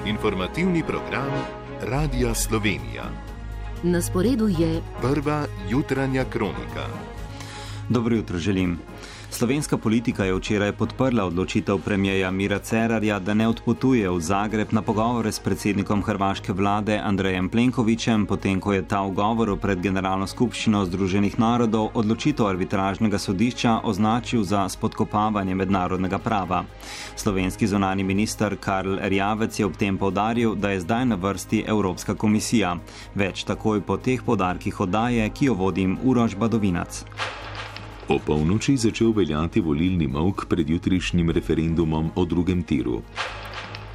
Informativni program Radia Slovenija. Na sporedu je prva jutranja kronika. Dobro jutro želim. Slovenska politika je včeraj podprla odločitev premierja Mira Cerarja, da ne odpotuje v Zagreb na pogovore s predsednikom hrvaške vlade Andrejem Plenkovićem, potem ko je ta v govoru pred Generalno skupščino Združenih narodov odločitev arbitražnega sodišča označil za spodkopavanje mednarodnega prava. Slovenski zunanji minister Karl Erjavec je ob tem poudaril, da je zdaj na vrsti Evropska komisija. Več takoj po teh poudarkih oddaje, ki jo vodim Uroš Badovinac. O polnoči začel veljati volilni molk pred jutrišnjim referendumom o drugem tiru.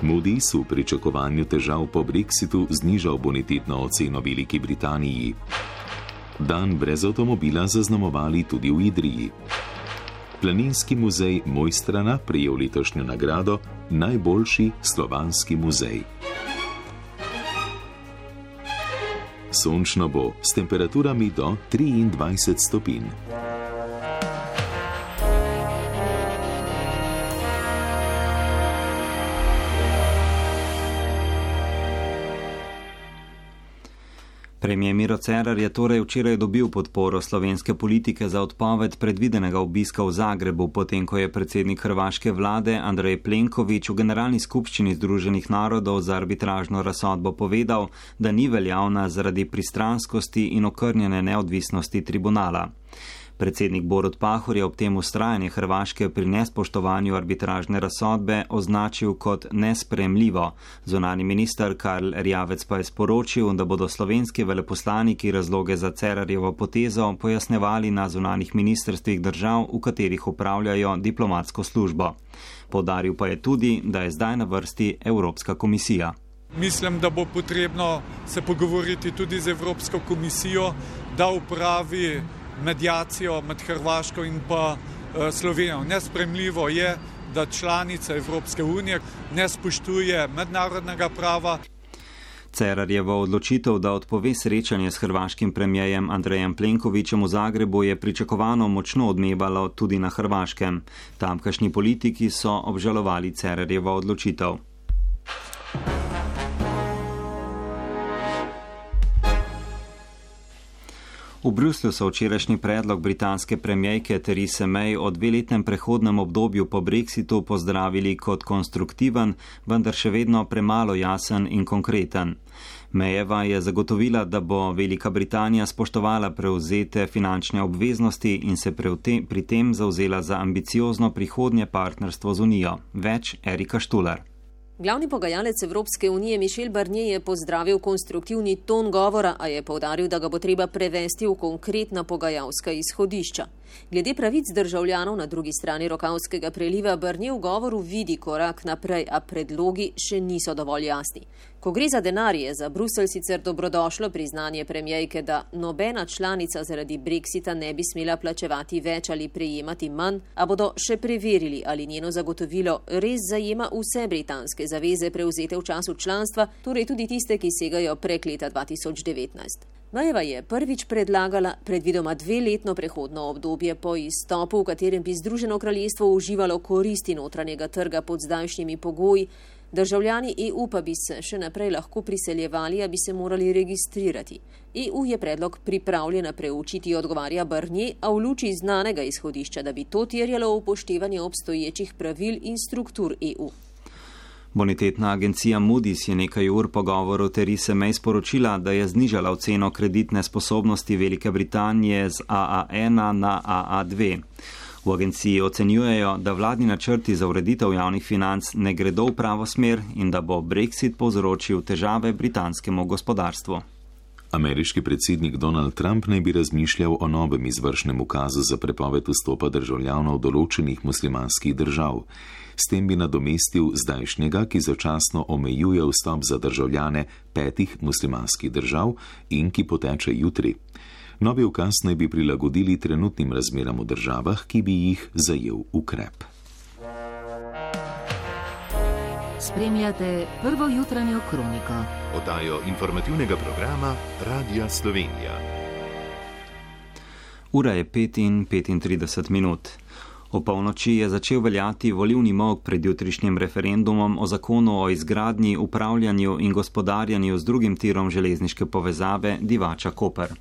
Moody's v pričakovanju težav po Brexitu znižal bonitetno oceno Veliki Britaniji. Dan brez avtomobila zaznamovali tudi v Idriji. Planinski muzej Mojstrana prejel letošnjo nagrado Najboljši slovanski muzej. Sončno bo s temperaturami do 23 stopinj. Premier Miro Cerar je torej včeraj dobil podporo slovenske politike za odpoved predvidenega obiska v Zagrebu, potem ko je predsednik hrvaške vlade Andrej Plenković v Generalni skupščini Združenih narodov za arbitražno razsodbo povedal, da ni veljavna zaradi pristranskosti in okrnjene neodvisnosti tribunala. Predsednik Borut Pahor je ob tem vztrajanje Hrvaške pri nespoštovanju arbitražne razsodbe označil kot nesprejemljivo. Zunanji minister Karl Erjavec pa je sporočil, da bodo slovenski veleposlaniki razloge za Cerarjevo potezo pojasnevali na zunanjih ministrstvih držav, v katerih upravljajo diplomatsko službo. Poudaril pa je tudi, da je zdaj na vrsti Evropska komisija. Mislim, da bo potrebno se pogovoriti tudi z Evropsko komisijo, da upravi medijacijo med Hrvaško in pa Slovenijo. Nesprejemljivo je, da članica Evropske unije ne spoštuje mednarodnega prava. Cerarjevo odločitev, da odpove srečanje s hrvaškim premierjem Andrejem Plenkovićem v Zagrebu, je pričakovano močno odmevalo tudi na Hrvaškem. Tamkajšnji politiki so obžalovali Cerarjevo odločitev. V Bruslju so včerajšnji predlog britanske premierke Therese May o dveletnem prehodnem obdobju po Brexitu pozdravili kot konstruktiven, vendar še vedno premalo jasen in konkreten. Mayeva je zagotovila, da bo Velika Britanija spoštovala prevzete finančne obveznosti in se pri tem zavzela za ambiciozno prihodnje partnerstvo z Unijo. Več Erika Štular. Glavni pogajalec Evropske unije Michel Barnier je pozdravil konstruktivni ton govora, a je poudaril, da ga bo treba prevesti v konkretna pogajalska izhodišča. Glede pravic državljanov na drugi strani Rokavskega preliva Barnier v govoru vidi korak naprej, a predlogi še niso dovolj jasni. Ko gre za denar, je za Bruselj sicer dobrodošlo priznanje premierke, da nobena članica zaradi Brexita ne bi smela plačevati več ali prejemati manj, a bodo še preverili, ali njeno zagotovilo res zajema vse britanske zaveze prevzete v času članstva, torej tudi tiste, ki segajo prek leta 2019. Mayeva je prvič predlagala predvidoma 2-letno prehodno obdobje po izstopu, v katerem bi Združeno kraljestvo uživalo koristi notranjega trga pod zdajšnjimi pogoji, državljani EU pa bi se še naprej lahko priseljevali, a bi se morali registrirati. EU je predlog pripravljena preučiti, odgovarja Barnier, a v luči znanega izhodišča, da bi to terjalo upoštevanje obstoječih pravil in struktur EU. Bonitetna agencija Moody's je nekaj ur po govoru Therese May sporočila, da je znižala oceno kreditne sposobnosti Velike Britanije z AA1 na AA2. V agenciji ocenjujejo, da vladni načrti za ureditev javnih financ ne gredo v pravo smer in da bo Brexit povzročil težave britanskemu gospodarstvu. Ameriški predsednik Donald Trump naj bi razmišljal o novem izvršnem ukazu za prepoved vstopa državljanov določenih muslimanskih držav. S tem bi nadomestil zdajšnjega, ki začasno omejuje vstop za državljane 5 muslimanskih držav in ki poteče jutri. Novi ukaz naj bi prilagodili trenutnim razmeram v državah, ki bi jih zajel ukrep. Spremljate prvo jutranjo kroniko. Oddajo informativnega programa Radia Slovenija. Ura je 5:35. O polnoči je začel veljati volilni molk pred jutrišnjim referendumom o zakonu o izgradnji, upravljanju in gospodarjanju z drugim tirom železniške povezave Divača-Koper.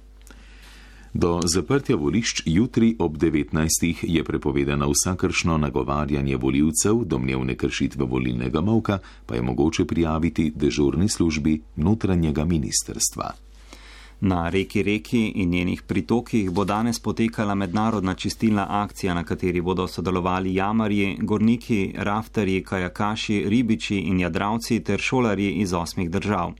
Do zaprtja volišč jutri ob 19. je prepovedano vsakršno nagovarjanje volivcev, domnevne kršitve volilnega molka pa je mogoče prijaviti dežurni službi notranjega ministrstva. Na reki in njenih pritokih bo danes potekala mednarodna čistilna akcija, na kateri bodo sodelovali jamarji, gorniki, raftarji, kajakaši, ribiči in jadravci ter šolarji iz 8 držav.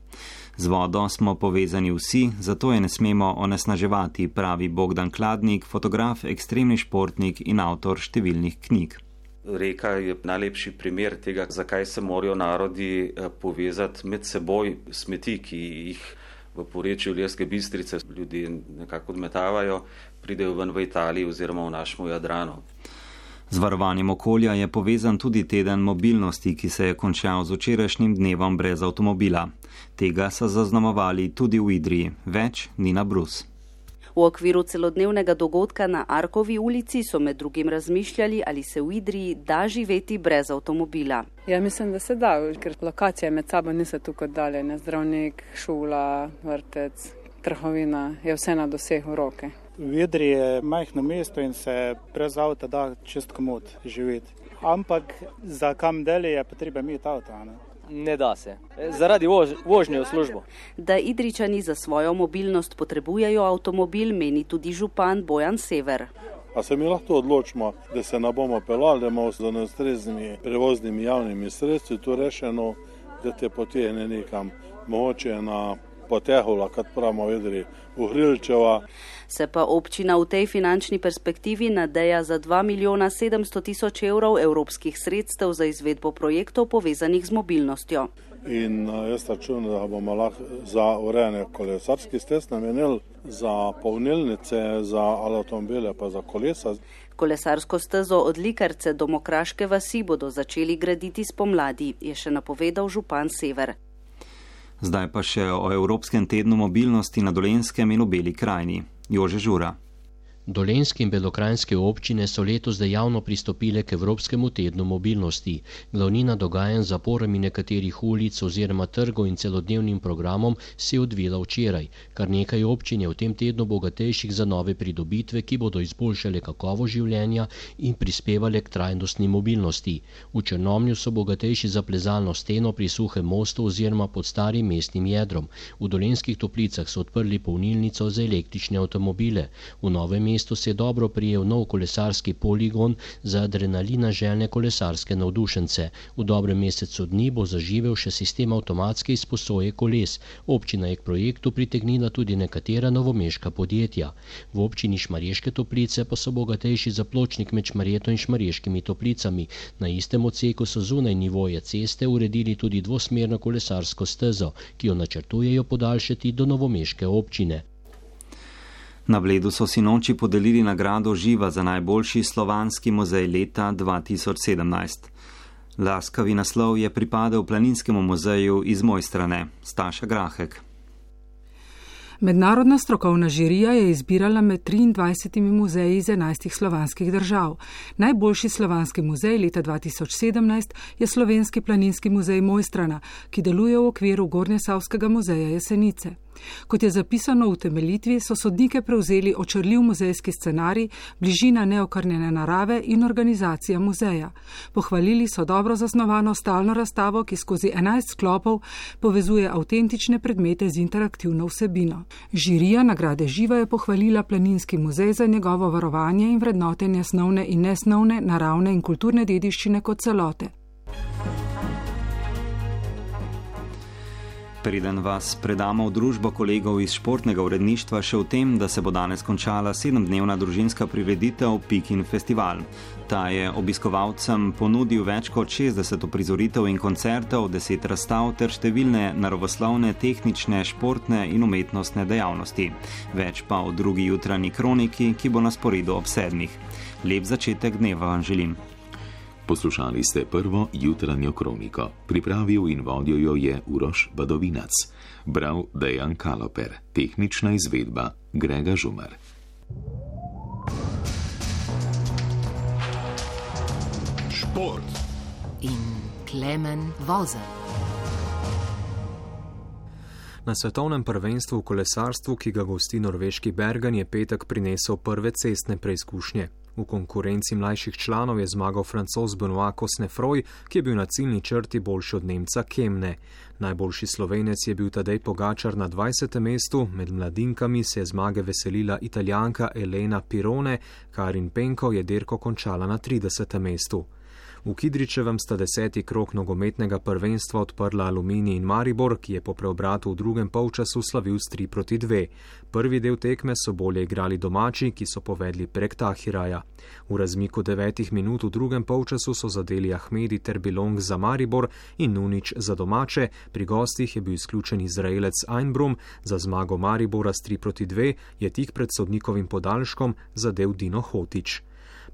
Z vodo smo povezani vsi, zato je ne smemo onesnaževati, pravi Bogdan Kladnik, fotograf, ekstremni športnik in avtor številnih knjig. Reka je najlepši primer tega, zakaj se morajo narodi povezati med seboj. Smeti, ki jih v porečju Ilirske Bistrice ljudje nekako odmetavajo, pridejo ven v Italiji oziroma v našem Jadranu. Z varovanjem okolja je povezan tudi teden mobilnosti, ki se je končal z včerajšnjim dnevom brez avtomobila. Tega so zaznamovali tudi v Idriji. Več Nina Brus. V okviru celodnevnega dogodka na Arkovi ulici so med drugim razmišljali, ali se v Idriji da živeti brez avtomobila. Ja, mislim, da se da, ker lokacije med sabo niso tukaj daljene. Zdravnik, šola, vrtec, trgovina, je vse na dosehu roke. V Idriji je majhno mesto in se brez avta da čist komod živeti. Ampak za kam deli je potreba imeti avto, ne? Ne da se, zaradi vožnje v službo. Da Idričani za svojo mobilnost potrebujejo avtomobil, meni tudi župan Bojan Sever. A se mi lahko odločimo, da se ne bomo pelali, da imamo z ustreznimi prevoznimi javnimi sredstvi tu rešeno, da te potegne nekam, mogoče na Potehula, kot pravimo v Idriji, v Hrilčeva. Se pa občina v tej finančni perspektivi nadeja za 2.700.000 evrov evropskih sredstev za izvedbo projektov povezanih z mobilnostjo. In jaz računam, da bomo lahko za urejanje kolesarskih stez namenili, za polnilnice, za avtomobile pa za kolesa. Kolesarsko stezo od Likarce do Mokraške vasi bodo začeli graditi spomladi, je še napovedal župan Sever. Zdaj pa še o Evropskem tednu mobilnosti na Dolenjskem in v Beli krajini. Jože Žura. Dolenjske in belokranjske občine so letos dejavno pristopile k Evropskemu tednu mobilnosti. Glavnina dogajanj z zaporami nekaterih ulic oziroma trgov in celodnevnim programom se je odvila včeraj. Kar nekaj občin je v tem tednu bogatejših za nove pridobitve, ki bodo izboljšale kakovost življenja in prispevale k trajnostni mobilnosti. V Črnomlju so bogatejši za plezalno steno pri Suhem mostu oziroma pod starim mestnim jedrom. V Dolenjskih Toplicah so odprli polnilnico za električne avtomobile. V Novem mestu se je dobro prijel nov kolesarski poligon za adrenalina željne kolesarske navdušence. V dobrem mesecu dni bo zaživel še sistem avtomatske izposoje koles. Občina je k projektu pritegnila tudi nekatera novomeška podjetja. V občini Šmarješke Toplice pa so bogatejši za pločnik med Šmarjeto in Šmarješkimi Toplicami. Na istem odseku so zunaj nivoja ceste uredili tudi dvosmerno kolesarsko stezo, ki jo načrtujejo podaljšati do novomeške občine. Na Bledu so sinoči podelili nagrado Živa za najboljši slovanski muzej leta 2017. Laskavi naslov je pripadel Planinskemu muzeju iz Mojstrane. Staša Grahek. Mednarodna strokovna žirija je izbirala med 23 muzeji iz 11 slovanskih držav. Najboljši slovanski muzej leta 2017 je Slovenski planinski muzej Mojstrana, ki deluje v okviru Gornjesavskega muzeja Jesenice. Kot je zapisano v utemeljitvi, so sodnike prevzeli očarljiv muzejski scenarij, bližina neokrnjene narave in organizacija muzeja. Pohvalili so dobro zasnovano stalno razstavo, ki skozi 11 sklopov povezuje avtentične predmete z interaktivno vsebino. Žirija nagrade Živa je pohvalila Planinski muzej za njegovo varovanje in vrednotenje snovne in nesnovne, naravne in kulturne dediščine kot celote. Preden vas predamo v družbo kolegov iz športnega uredništva še v tem, da se bo danes končala 7-dnevna družinska prireditev Pikin Festival. Ta je obiskovalcem ponudil več kot 60 uprizoritev in koncertov, 10 razstav ter številne naravoslovne, tehnične, športne in umetnostne dejavnosti. Več pa v drugi jutranji kroniki, ki bo na sporedu ob 7. Lep začetek dneva vam želim. Poslušali ste prvo jutranjo kroniko. Pripravil in vodil jo je Uroš Badovinac. Bral Dejan Kaloper. Tehnična izvedba Grega Žumar. Šport in Klemen Vozelj. Na svetovnem prvenstvu v kolesarstvu, ki ga gosti norveški Bergen, je petek prinesel prve cestne preizkušnje. V konkurenci mlajših članov je zmagal Francoz Benoit Cosnefroy, ki je bil na ciljni črti boljši od Nemca Kemne. Najboljši Slovenec je bil Tadej Pogačar na 20. mestu, med mladinkami se je zmage veselila Italijanka Elena Pirone, Karin Penko je dirko končala na 30. mestu. V Kidričevem sta 10. krog nogometnega prvenstva odprla Aluminij in Maribor, ki je po preobratu v drugem polčasu slavil s 3-2. Prvi del tekme so bolje igrali domači, ki so povedli prek Tahiraja. V razmiku 9 minut v drugem polčasu so zadeli Ahmedi ter Bilong za Maribor in Nunič za domače, pri gostih je bil izključen Izraelec Einbrum, za zmago Maribora s 3-2 je tik pred sodnikovim podaljškom zadel Dino Hotić.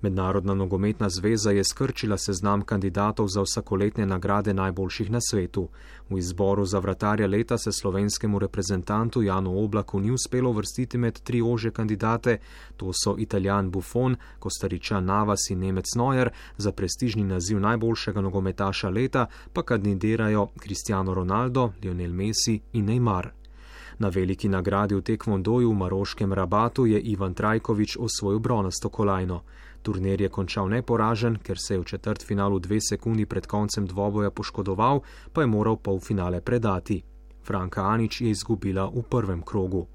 Mednarodna nogometna zveza je skrčila seznam kandidatov za vsakoletne nagrade najboljših na svetu. V izboru za vratarja leta se slovenskemu reprezentantu Janu Oblaku ni uspelo vrstiti med 3 ožje kandidate, to so Italijan Buffon, Kostaričan Navas in Nemec Neuer, za prestižni naziv najboljšega nogometaša leta pa kandidirajo Cristiano Ronaldo, Lionel Messi in Neymar. Na veliki nagradi v tekvondoju v maroškem Rabatu je Ivan Trajković osvojil bronasto kolajno. Turnir je končal neporažen, ker se je v četrtfinalu 2 sekundi pred koncem dvoboja poškodoval, pa je moral polfinale predati. Franka Anić je izgubila v prvem krogu.